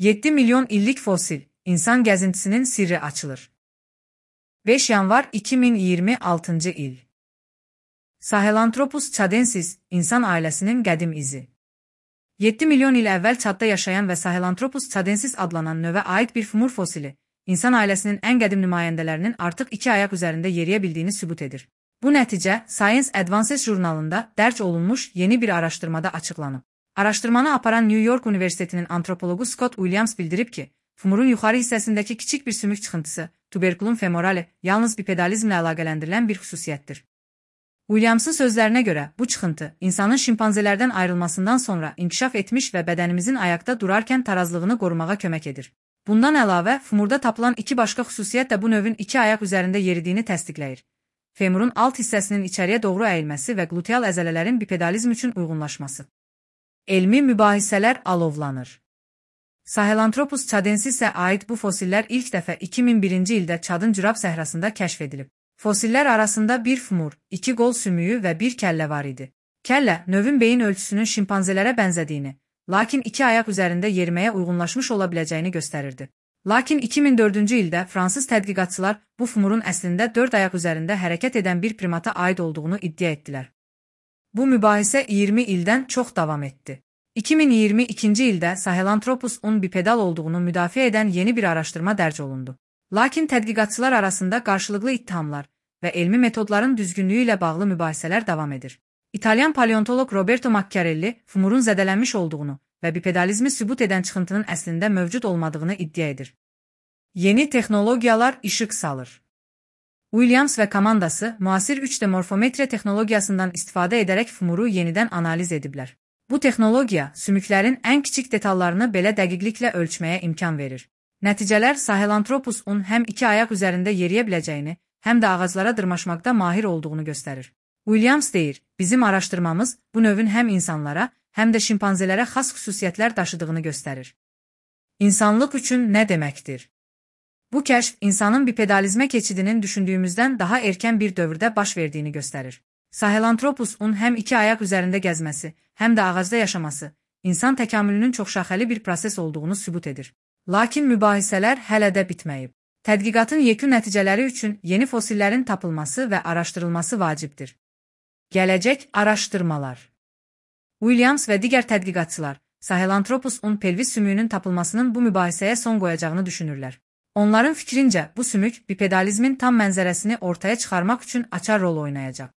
7 milyon illik fosil, insan gəzintisinin sirri açılır. 5 yanvar 2026 il. Sahelanthropus tchadensis, insan ailəsinin qədim izi. 7 milyon il əvvəl Çadda yaşayan və Sahelanthropus tchadensis adlanan növə aid bir fumur fosili, insan ailəsinin ən qədim nümayəndələrinin artıq 2 ayaq üzərində yeriyə bildiyini sübut edir. Bu nəticə Science Advances jurnalında dərc olunmuş yeni bir araşdırmada açıqlanıb. Araşdırmanı aparan New York Universitetinin antropologu Scott Williams bildirib ki, fumurun yuxarı hissəsindəki kiçik bir sümük çıxıntısı, tuberculum femorale, yalnız bipedalizmlə əlaqələndirilən bir xüsusiyyətdir. Williams'ın sözlərinə görə, bu çıxıntı, insanın şimpanzelərdən ayrılmasından sonra inkişaf etmiş və bədənimizin ayaqda durarkən tarazlığını qorumağa kömək edir. Bundan əlavə, fumurda tapılan 2 başqa xüsusiyyət də bu növün 2 ayaq üzərində yeridiyini təsdiqləyir. Femurun alt hissəsinin içəriyə doğru əyilməsi və gluteal əzələlərin bipedalizm üçün uyğunlaşması. Elmi mübahisələr alovlanır. Sahelanthropus tchadensisə aid bu fosillər ilk dəfə 2001-ci ildə Çadın Cürab səhrasında kəşf edilib. Fosillər arasında bir fumur, 2 qol sümüyü və bir kəllə var idi. Kəllə, növün beyin ölçüsünün şimpanzelərə bənzədiyini, lakin 2 ayaq üzərində yeriməyə uyğunlaşmış ola biləcəyini göstərirdi. Lakin 2004-cü ildə fransız tədqiqatçılar bu fumurun əslində 4 ayaq üzərində hərəkət edən bir primata aid olduğunu iddia etdilər. Bu mübahisə 20 ildən çox davam etdi. 2022-ci ildə Sahelanthropus-un bipedal olduğunu müdafiə edən yeni bir araşdırma dərc olundu. Lakin tədqiqatçılar arasında qarşılıqlı ittihamlar və elmi metodların düzgünlüyü ilə bağlı mübahisələr davam edir. İtalyan paleontoloq Roberto Macchiarelli fumurun zədələnmiş olduğunu və bipedalizmi sübut edən çıxıntının əslində mövcud olmadığını iddia edir. Yeni texnologiyalar işıq salır. Williams və komandası müasir 3D morfometriya texnologiyasından istifadə edərək fumuru yenidən analiz ediblər. Bu texnologiya sümüklərin ən kiçik detallarını belə dəqiqliklə ölçməyə imkan verir. Nəticələr Sahelanthropus-un həm 2 ayaq üzərində yeriyə biləcəyini, həm də ağaclara dırmaşmaqda mahir olduğunu göstərir. Williams deyir, bizim araşdırmamız bu növün həm insanlara, həm də şimpanzelərə xas xüsusiyyətlər daşıdığını göstərir. İnsanlıq üçün nə deməkdir? Bu kəşf insanın bipedalizmə keçidinin düşündüyümüzdən daha erkən bir dövrdə baş verdiyini göstərir. Sahelanthropus-un həm 2 ayaq üzərində gəzməsi, həm də ağacda yaşaması, insan təkamülünün çoxşaxəli bir proses olduğunu sübut edir. Lakin mübahisələr hələ də bitməyib. Tədqiqatın yekun nəticələri üçün yeni fosillərin tapılması və araşdırılması vacibdir. Gələcək araşdırmalar. Williams və digər tədqiqatçılar Sahelanthropus-un pelvis sümüyünün tapılmasının bu mübahisəyə son qoyacağını düşünürlər. Onların fikrincə, bu sümük bipedalizmin tam mənzərəsini ortaya çıxarmaq üçün açar rol oynayacaq.